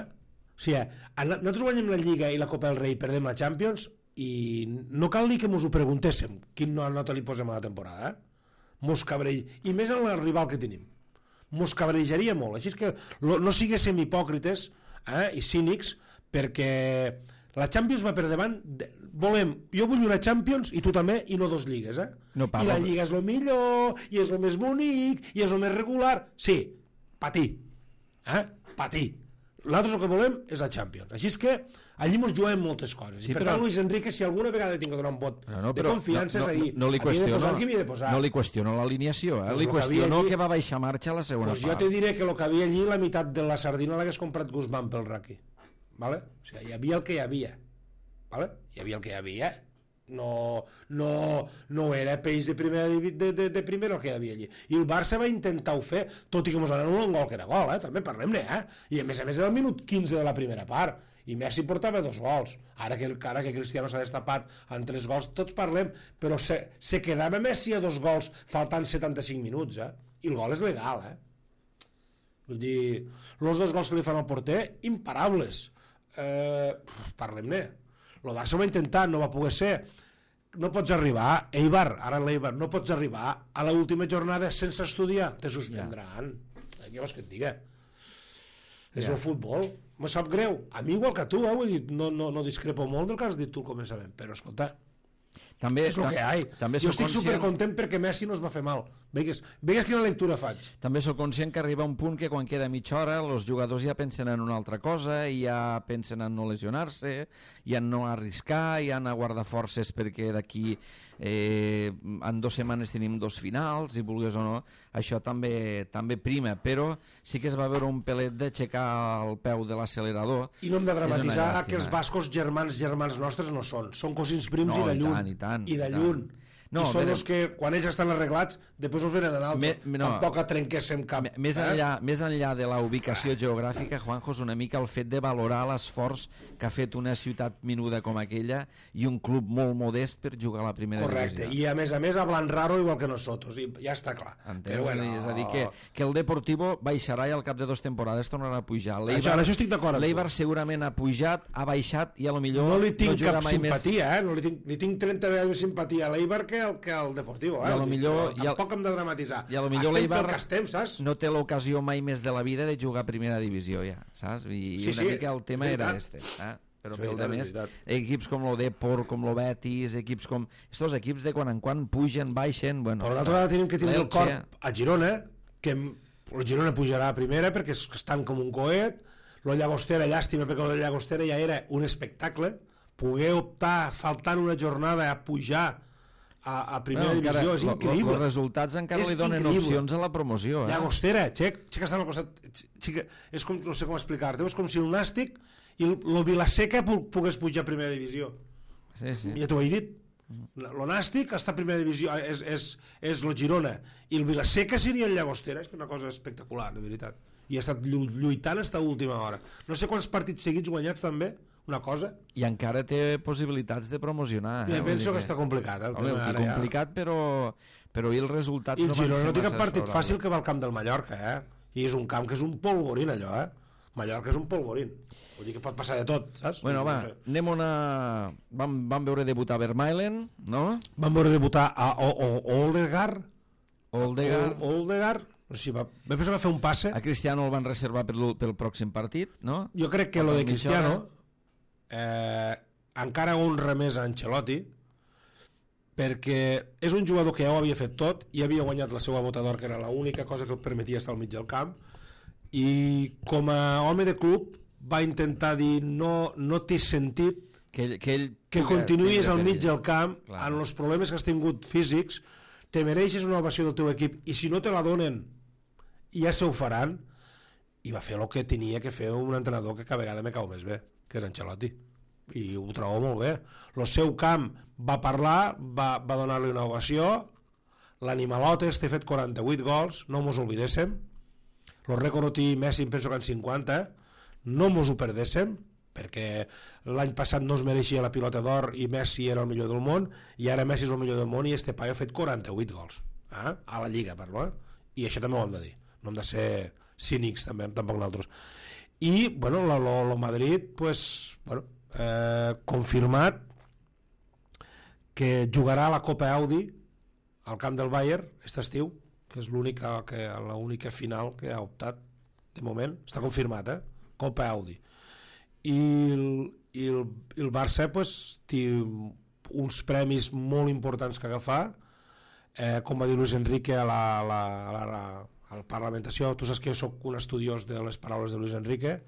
S3: sigui, nosaltres guanyem la Lliga i la Copa del Rei i perdem la Champions i no cal dir que mos ho preguntéssim quin nota li posem a la temporada, mos cabrell, i més en el rival que tenim, mos cabrejaria molt. Així és que no siguéssim hipòcrites i cínics, perquè la Champions va per davant. Jo vull una Champions i tu també, i no dos lligues,
S1: No
S3: i la Lliga és el millor i és el més bonic i és el més regular. Sí, patir, patir. Nosaltres el que volem és la Champions. Així és que allí ens juguem moltes coses.
S1: Sí,
S3: I per tant, Luis Enrique, si alguna vegada tinc que donar un vot de confiança, és ahir.
S1: No li
S3: qüestiono
S1: no li qüestiono l'alineació, li qüestiono que va baixar marxa a la segona part.
S3: Jo te diré que el que havia allí, la meitat de la sardina l'hagués comprat Guzmán pel Raki. Vale? O sigui, hi havia el que hi havia. Vale? Hi havia el que hi havia. No era peix de primera el que hi havia allí. I el Barça va intentar-ho fer, tot i que ens van anul·lar un gol que era gol, també parlem-ne, i a més era el minut 15 de la primera part, i Messi portava 2 gols. Ara que Cristiano s'ha destapat en 3 gols, tots parlem, però se quedava Messi a 2 gols faltant 75 minuts, i el gol és legal, Vull dir, els 2 gols que li fan al porter, imparables. Parlem-ne. El Barça ho va intentar, no va poder ser. No pots arribar, ara l'Eibar, no pots arribar a l'última jornada sense estudiar, te suspendran. Què vols que et diga? És el futbol, me sap greu. A mi igual que tu, vull dir, no discrepo molt del que has dit tu al començament, però escolta, és el que hi ha. Jo estic supercontent perquè Messi no es va fer mal. Vegues quina lectura faig.
S1: També sóc conscient que arriba un punt que quan queda mitja hora els jugadors ja pensen en una altra cosa, i ja pensen en no lesionar-se, i en no arriscar, i en a guardar forces perquè d'aquí en 2 setmanes tenim 2 finals, i vulguis o no, això també prima, però sí que es va veure un pelet d'aixecar el peu de l'accelerador.
S3: I no hem de dramatitzar que els bascos germans nostres no són cosins prims i de lluny. I de lluny. I són els que quan ells estan arreglats després els venen en altres. Tampoc trenquéssim cap.
S1: Més enllà de la ubicació geogràfica, Juanjo, és una mica el fet de valorar l'esforç que ha fet una ciutat menuda com aquella i un club molt modest per jugar a la primera divisió.
S3: Correcte, i a més hablan raro igual que nosotros, i ja està clar.
S1: És a dir, que el Deportivo baixarà i al cap de 2 temporades tornarà a pujar.
S3: Això estic d'acord amb tu.
S1: L'Eibar segurament ha pujat, ha baixat, i a lo millor
S3: no li tinc cap simpatia, li tinc 30 vegades més simpatia a l'Eibar que al Deportivo, tampoc hem de dramatitzar. Estem pel que estem, saps?
S1: No té l'ocasió mai més de la vida de jugar a primera divisió, ja, saps? I una mica el tema era este. però
S3: És
S1: pel
S3: veritat,
S1: de
S3: és
S1: més,
S3: veritat.
S1: equips com el Depor, com el Betis, equips com... Estos equips de quan en quan pugen, baixen... Bueno,
S3: Però l'altra vegada tenim que tindre el
S1: l'Elche,
S3: cor a Girona, que el Girona pujarà a primera perquè estan com un coet, la Llagostera, llàstima, perquè la Llagostera ja era un espectacle, poder optar, faltant una jornada, a pujar a primera divisió, és increïble.
S1: Els resultats encara
S3: És
S1: li donen
S3: increïble.
S1: opcions a la promoció.
S3: Llagostera, Xec està al costat... És com, no sé com explicar-te, és com si el Nàstic i el Vilaseca pogués pujar a primera divisió.
S1: Sí, sí.
S3: Ja t'ho he dit. El Nàstic està a primera divisió, és el Girona, i el Vilaseca seria el Llagostera. És una cosa espectacular, de veritat. I ha estat lluitant fins a última hora. No sé quants partits seguits guanyats també, una cosa.
S1: I encara té possibilitats de promocionar.
S3: Jo penso que està complicat. El
S1: home,
S3: tema ara
S1: complicat, però i els resultats...
S3: I el Girona no té cap
S1: massa
S3: partit
S1: favorables.
S3: fàcil que va al camp del Mallorca, I és un camp que és un polvorín, allò, Mallorca és un polvorín. Vull dir que pot passar de tot, saps?
S1: Bueno, va,
S3: No sé.
S1: anem una... Vam veure debutar Vermaelen, no?
S3: Vam veure debutar a Odegaard.
S1: Odegaard.
S3: O sigui, va pensar que va fer un passe.
S1: A Cristiano el van reservar pel pròxim partit, no?
S3: Jo crec que lo de
S1: Mitja
S3: Cristiano
S1: hora.
S3: encara honra més a Ancelotti, perquè és un jugador que ja ho havia fet tot i havia guanyat la seva bota d'or, que era l'única cosa que el permetia estar al mig del camp, i com a home de club va intentar dir no té sentit que continuïs al mig del camp.
S1: Clar.
S3: En els problemes que has tingut físics te mereixes una ovació del teu equip, i si no te la donen ja se ho faran, i va fer el que tenia que fer un entrenador que cada vegada me cau més bé, que és Ancelotti, i ho trobo molt bé. El seu camp va parlar, va donar-li una ovació, l'Animalotes té fet 48 gols, no mos oblidéssim, el rècord i Messi penso que en 50, no mos ho perdéssim, perquè l'any passat no es mereixia la pilota d'or i Messi era el millor del món, i ara Messi és el millor del món i este paio ha fet 48 gols a la Lliga, i això també ho hem de dir, no hem de ser cínics també, tampoc nosaltres. I bueno, el Madrid confirmat que jugarà a la Copa Audi al camp del Bayern aquest estiu, que és l'única final que ha optat de moment, està confirmat, Copa Audi. I el Barça té uns premis molt importants que agafar, com va dir Luis Enrique a la parlamentació. Tu saps que jo soc un estudiós de les paraules de Luis Enrique,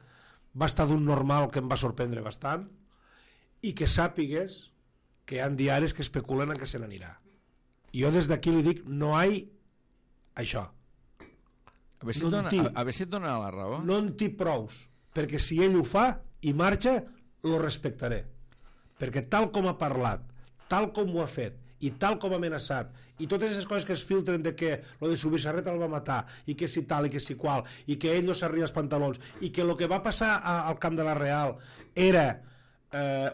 S3: va estar d'un normal que em va sorprendre bastant, i que sàpigues que hi ha diaris que especulen en què se n'anirà. I jo des d'aquí li dic, no hi ha això.
S1: A veure si et dona la raó.
S3: No en té prous, perquè si ell ho fa i marxa, lo respectaré, perquè tal com ha parlat, tal com ho ha fet i tal com ha amenaçat, i totes aquestes coses que es filtren de que lo de Subisarret el va matar, i que si tal i que si qual, i que ell no s'arria els pantalons, i que el que va passar al camp de la Real era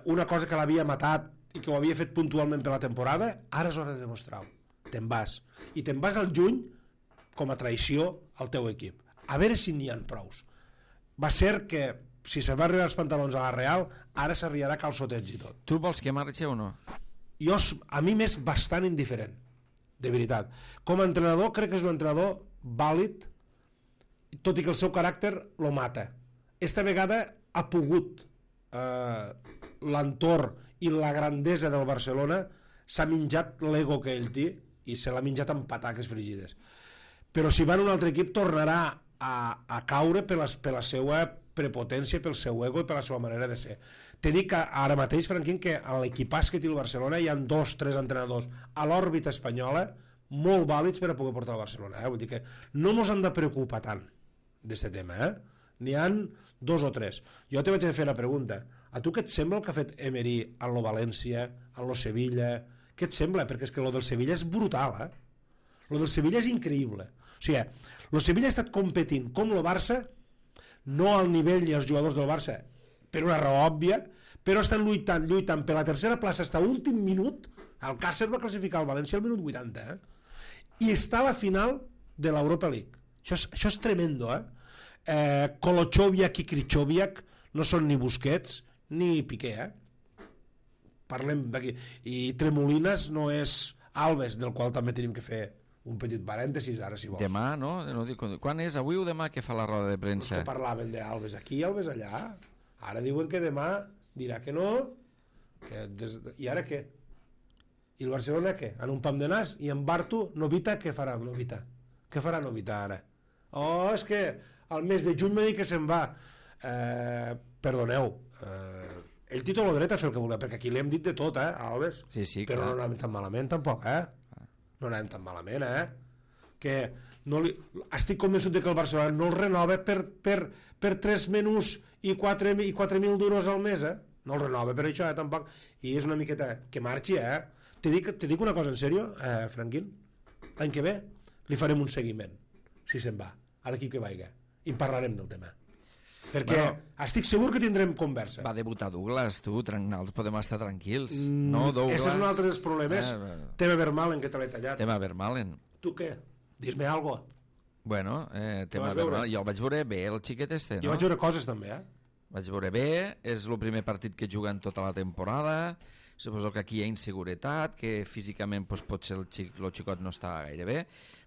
S3: una cosa que l'havia matat i que ho havia fet puntualment per la temporada, ara és hora de demostrar-ho. Te'n vas, i te'n vas al juny com a traïció al teu equip, a veure si n'hi ha prous. Va ser que si se va arribar els pantalons a la Real, ara s'arribarà calçotets i tot.
S1: Tu vols que marxi o no?
S3: A mi m'és bastant indiferent, de veritat. Com a entrenador, crec que és un entrenador vàlid, tot i que el seu caràcter lo mata. Esta vegada ha pogut l'entorn i la grandesa del Barcelona, s'ha menjat l'ego que ell té i se l'ha menjat amb pataques frigides. Però si va en un altre equip tornarà a caure per la seva prepotència, pel seu ego i per la seva manera de ser. T'he dit que ara mateix, Franquín, que a l'equipàs que té el Barcelona hi ha 2 o 3 entrenadors a l'òrbita espanyola molt vàlids per a poder portar el Barcelona. Vull dir que no ens hem de preocupar tant d'aquest tema. N'hi ha 2 o 3. Jo te vaig a fer la pregunta. A tu què et sembla el que ha fet Emery en lo València, en lo Sevilla? Què et sembla? Perquè és que lo del Sevilla és brutal, Lo del Sevilla és increïble. O sigui, lo Sevilla ha estat competint com lo Barça, no al nivell ni als jugadors del Barça, per una raó òbvia, però estan lluitant per la tercera plaça fins a últim minut. El Càcer va classificar el València al minut 80, i està a la final de l'Europa League. Això és tremendo, Kolochoviak i Krychowiak no són ni Busquets ni Piqué, Parlem d'aquí. I Tremolinas no és Alves, del qual també tenim que fer un petit parèntesis, ara si vols.
S1: Demà, no? Quan és? Avui o demà que fa la roda de premsa?
S3: Que parlaven d'Alves aquí i Alves allà. Ara diuen que demà dirà que no, i ara què? I el Barcelona què? En un pam de nas, i en Bartu, Novita, què farà Novita? Què farà Novita ara? Oh, és que al mes de juny m'ha dit que se'n va. Perdoneu, ell té tot el dret a fer el que volia, perquè aquí li hem dit de tot, Alves?
S1: Sí,
S3: però
S1: clar.
S3: no anàvem tan malament tampoc, no anàvem tan malament, que no li... estic convençut que el Barcelona no el renova per 3 menús i 4.000 duros al mes, no el renova per això, tampoc, i és una miqueta que marxi, te dic una cosa en sèrio, Franquín, l'any que ve li farem un seguiment, si se'n va, a l'equip que vaiga, i en parlarem del tema, perquè estic segur que tindrem conversa.
S1: Va debutar Douglas, podem estar tranquils, no, Douglas?
S3: Aquest és un altre dels problemes. Tema Vermaelen, que te l'he tallat.
S1: Tema Vermaelen.
S3: Tu què? Dis-me algo.
S1: Bueno, tema Vermaelen, jo el vaig veure bé, el xiquet este, no?
S3: Jo vaig veure coses també,
S1: Vaig veure bé, és el primer partit que juga en tota la temporada, suposo que aquí hi ha inseguretat, que físicament pues, potser el xicot no està gaire bé,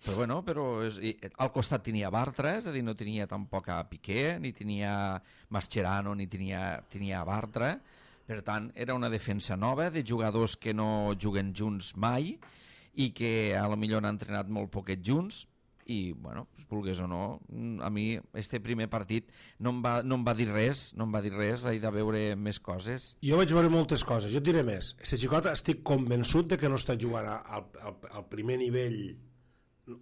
S1: però al costat tenia Bartra, és a dir, no tenia tampoc a Piqué, ni tenia Mascherano, ni tenia Bartra, per tant, era una defensa nova de jugadors que no juguen junts mai i que a lo millor han entrenat molt poquet junts, i, bueno, vulgués o no, a mi este primer partit no em va dir res, he de veure més coses.
S3: Jo vaig veure moltes coses, jo et diré més. Este xicot estic convençut de que no està jugant al primer nivell,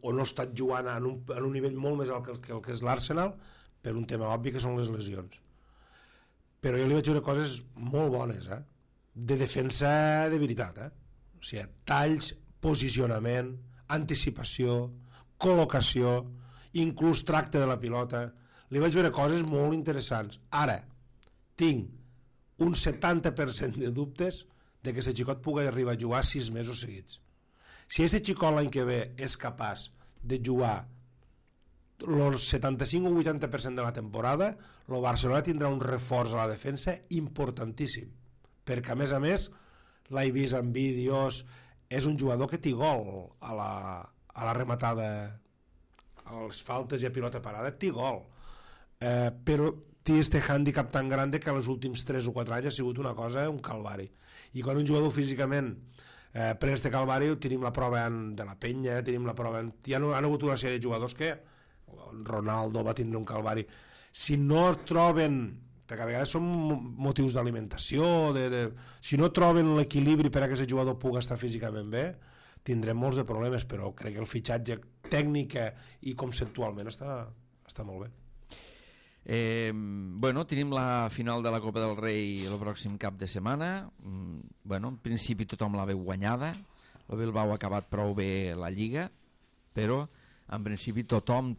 S3: o no està jugant en un nivell molt més alt que el que és l'Arsenal, per un tema obvi que són les lesions. Però jo li vaig veure coses molt bones, de defensa de veritat, o sigui, talls, posicionament, anticipació, col·locació, inclús tracte de la pilota. Li vaig veure coses molt interessants. Ara, tinc un 70% de dubtes de que aquest xicot pugui arribar a jugar 6 mesos seguits. Si aquest xicot l'any que ve és capaç de jugar el 75 o 80% de la temporada, el Barcelona tindrà un reforç a la defensa importantíssim, perquè a més l'he vist en vídeos, és un jugador que té gol a la rematada, a les faltes i a pilota parada, té gol, però té este hàndicap tan gran que els últims 3 o 4 anys ha sigut una cosa, un calvari, i quan un jugador físicament pren este calvari, tenim la prova de la penya, tenim la prova, hi han hagut una sèrie de jugadors que Ronaldo va tindre un calvari, si no troben, perquè a vegades són motius d'alimentació, si no troben l'equilibri per a que aquest jugador pugui estar físicament bé, tindrem molts de problemes, però crec que el fitxatge tècnica i conceptualment està molt bé.
S1: Bueno, tenim la final de la Copa del Rei el pròxim cap de setmana. Bueno, en principi tothom la veu guanyada, el Bilbao ha acabat prou bé la Lliga, però en principi tothom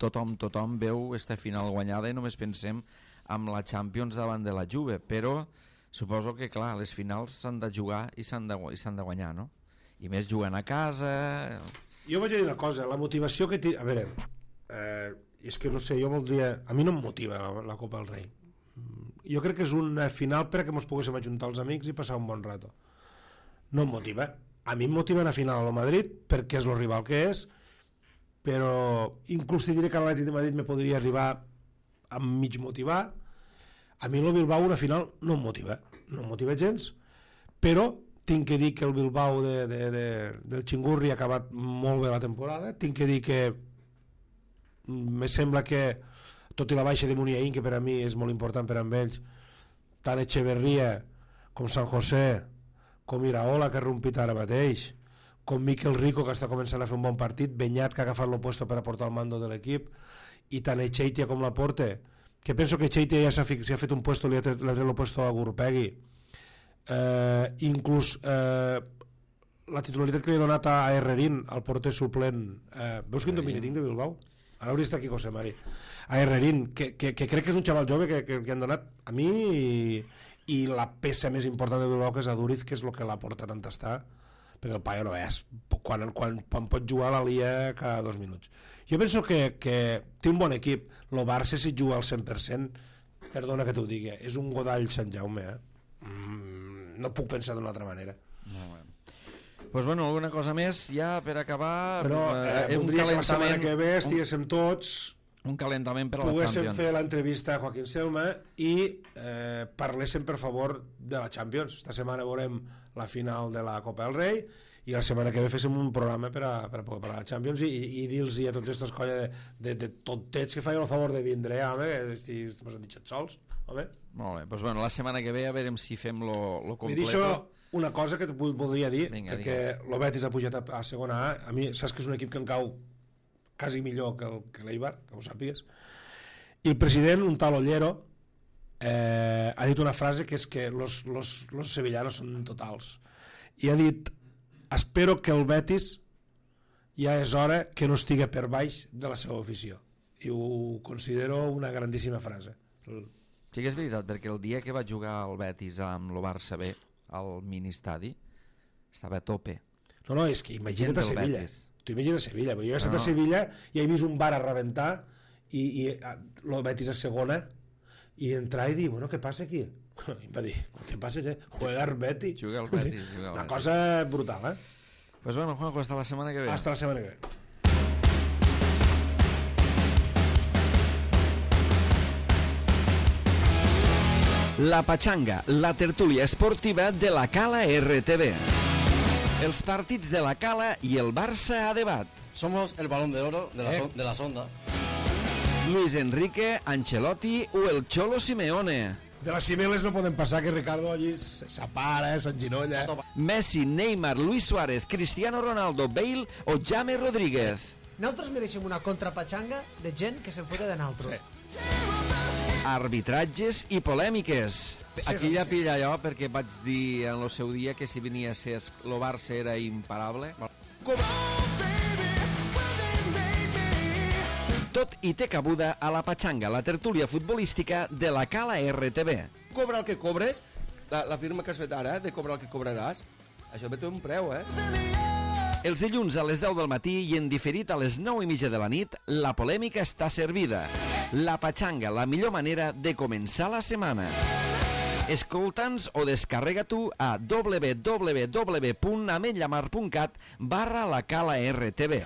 S1: veu esta final guanyada i només pensem amb la Champions davant de la Juve, però suposo que clar, les finals s'han de jugar i s'han de guanyar, no? I més jugant a casa.
S3: Jo vaig dir una cosa, la motivació que a veure, és que no sé, jo voldria, a mi no em motiva la Copa del Rei, jo crec que és una final perquè ens poguéssim ajuntar els amics i passar un bon rato, no em motiva, a mi em motiva una final a Madrid perquè és el rival que és, però inclús te diré que l'Atlètic de Madrid me podria arribar a mig motivar. A mi el Bilbao una final no em motiva gens, però tinc que dir que el Bilbao del Xingurri ha acabat molt bé la temporada, tinc que dir que me sembla que tot i la baixa de Muniain, que per a mi és molt important per a ells, tant Echeverría com San José com Iraola, que ha rompit ara mateix, com Miquel Rico, que està començant a fer un bon partit, Beñat, que ha agafat el puesto per a portar el mando de l'equip, i tant Echeitia com Laporte, que penso que Echeitia ja s'ha fet un puesto, li ha tret el puesto a Gurpegui, inclús la titularitat que li ha donat a Herrerín, el porter suplent, veus quin domini tinc de Bilbao? Ara hauria d'estar aquí José Mari. A Herrerín, que crec que és un xaval jove que han donat a mi, i la peça més important de Bilbao, que és Aduriz, que és el que l'ha portat on està, perquè el paio no és, quan pot jugar la lia cada 2 minuts. Jo penso que té un bon equip. El Barça, si juga al 100%, perdona que t'ho digui, és un Godall Sant Jaume, no puc pensar d'una altra manera.
S1: Pues bueno, alguna cosa més ja per acabar.
S3: Però voldria que la setmana que ve estiguéssim tots
S1: un calentament per a la
S3: poguéssim
S1: Champions.
S3: fer l'entrevista a Joaquín Selma i parléssim per favor de la Champions. Esta setmana veurem la final de la Copa del Rei i la setmana que ve féssim un programa per a poder parlar de la Champions i dir-los a tots aquests colla de tontets que feien el favor de vindre, home, que ens han dit sols, home.
S1: Molt bé, doncs bueno, la setmana que ve a veurem si fem lo completo.
S3: M'he dit una cosa que voldria dir.
S1: Vinga,
S3: perquè el Betis ha pujat a segona A. A mi saps que és un equip que em cau quasi millor que l'Eibar, que ho sàpigues. I el president, un tal Ollero, ha dit una frase que és que los sevillanos són totals. I ha dit: espero que el Betis ja és hora que no estigui per baix de la seva afició. I ho considero una grandíssima frase.
S1: Sí que és veritat, perquè el dia que va jugar el Betis amb el Barça B al ministadi estava a tope.
S3: No, és que imagina't a Sevilla. Tu imagina't a Sevilla, jo he estat a Sevilla i he vist un bar a rebentar i el Betis a segona i entrar i dir, bueno, què passa aquí? I em va dir, què passa? Jugar Betis.
S1: Juga el Betis.
S3: Una cosa brutal,
S1: Pues bueno, Juanjo, hasta la semana que ve.
S3: Hasta la semana que ve.
S1: La Pachanga, la tertúlia esportiva de la Cala RTV. Els partits de la Cala i el Barça a debat.
S2: Somos el balón de oro de las ondas.
S1: Luis Enrique, Ancelotti o el Cholo Simeone.
S3: De les cimeles no poden passar que Ricardo allí s'apara, s'enginolla.
S1: Messi, Neymar, Luis Suárez, Cristiano Ronaldo, Bale o James Rodríguez.
S4: Nosaltres mereixem una contrapatxanga de gent que se'n fota de naltros.
S1: Arbitratges i polèmiques. Aquí ja pilla allò perquè vaig dir en el seu dia que si venia a ser el Barça era imparable. Tot i té cabuda a la Pachanga, la tertúlia futbolística de la Cala RTV.
S5: Cobra el que cobres, la firma que has fet ara, de cobrar el que cobraràs, això té un preu,
S1: Els dilluns a les 10 del matí i en diferit a les 9:30 de la nit, la polèmica està servida. La Pachanga, la millor manera de començar la setmana. Escolta'ns o descarrega tu a www.ametllamar.cat/la Cala RTV.